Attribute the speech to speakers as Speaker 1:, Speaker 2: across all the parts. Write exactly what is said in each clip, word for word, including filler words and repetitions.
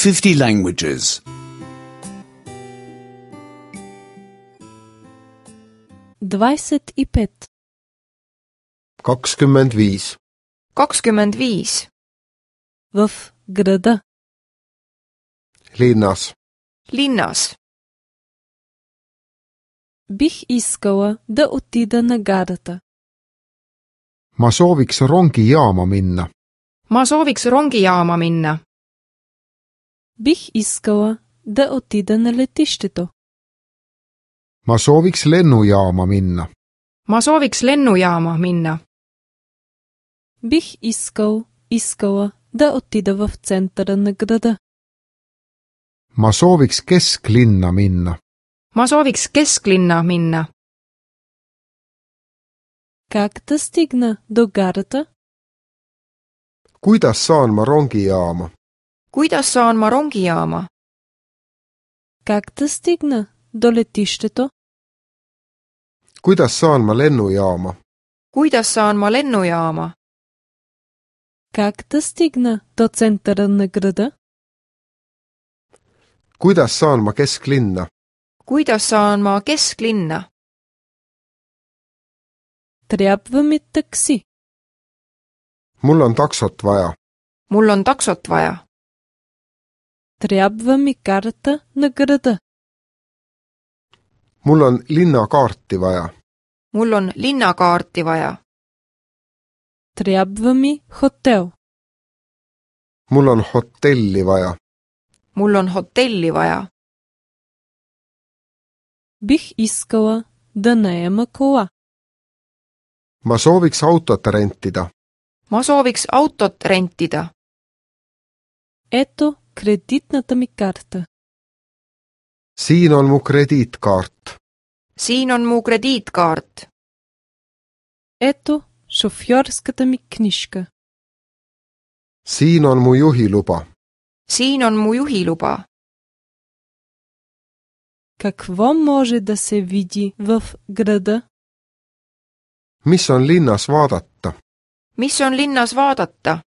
Speaker 1: fifty languages.
Speaker 2: Двадесет и пет.
Speaker 3: kakskümmend viis.
Speaker 4: kakskümmend viis.
Speaker 2: В града.
Speaker 3: Linnas.
Speaker 4: Linnas.
Speaker 2: Бих искала да отида на гарата.
Speaker 3: Ma sooviks rongijaama minna.
Speaker 4: Ma sooviks rongijaama minna.
Speaker 2: Бих искала да отида на летището.
Speaker 3: Ma sooviks lennujaama minna.
Speaker 4: Ma sooviks lennujaama minna.
Speaker 2: Бих искал, искала да отида в центъра на града.
Speaker 3: Ma sooviks kesklinna minna.
Speaker 4: Ma sooviks kesklinna minna.
Speaker 2: Как да стигна до гарата?
Speaker 3: Kuidas saan ma rongijaama?
Speaker 4: Kuidas saan ma rongijaama?
Speaker 2: Как да стигна до летището?
Speaker 3: Kuidas saan ma lennujaama?
Speaker 4: Kuidas saan ma lennujaama?
Speaker 2: Как да стигна до центъра на града?
Speaker 3: Kuidas saan ma kesklinna?
Speaker 4: Kuidas saan ma kesklinna?
Speaker 2: Трябва ми такси.
Speaker 3: Mul on taksot vaja.
Speaker 4: Mul on taksot vaja.
Speaker 2: Трябва ми карта на града.
Speaker 3: Mul on linnakaarti vaja.
Speaker 4: Mul on linnakaarti vaja.
Speaker 2: Трябва ми хотел.
Speaker 3: Mul on hotelli vaja.
Speaker 4: Mul on hotelli vaja.
Speaker 2: Бих искала да наема кола.
Speaker 3: Ma sooviks autot rentida.
Speaker 4: Ma sooviks autot rentida.
Speaker 2: Ето кредитната ми карта.
Speaker 3: Siin on mu krediitkaart.
Speaker 4: Siin on mu krediitkaart.
Speaker 2: Ето шофьорската ми книжка.
Speaker 3: Siin on mu juhiluba.
Speaker 4: Siin on mu juhiluba.
Speaker 2: Какво може да се види в града?
Speaker 3: Mis on linnas vaadata?
Speaker 4: Mis on linnas vaadata?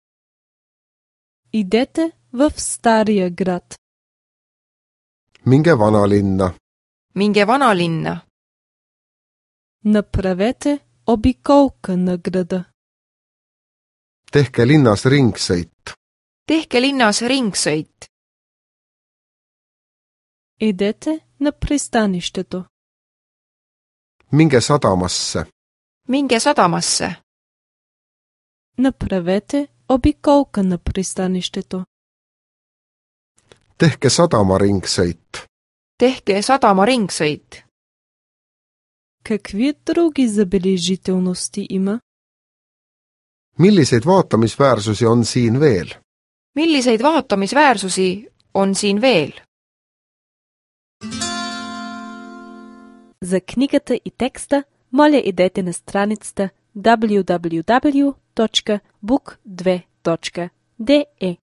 Speaker 2: Идете в стария град.
Speaker 3: Minge vanalinna.
Speaker 4: Minge vanalinna.
Speaker 2: Направете обиколка на града.
Speaker 3: Tehke linnas ringsõit.
Speaker 4: Tehke linnas ringsõit.
Speaker 2: Идете на пристанището.
Speaker 3: Minge sadamasse.
Speaker 4: Minge sadamasse.
Speaker 2: Направете обиколка на пристанището.
Speaker 3: Tehke sadama ringsõit.
Speaker 4: Tehke sadama ringsõit.
Speaker 2: Какви други забележителности има?
Speaker 3: Milliseid vaatamisväärsusi on siin veel?
Speaker 4: Milliseid vaatamisväärsusi on siin veel?
Speaker 2: За книгата и текста моля идете на страницата даблю даблю даблю точка бук две точка де е.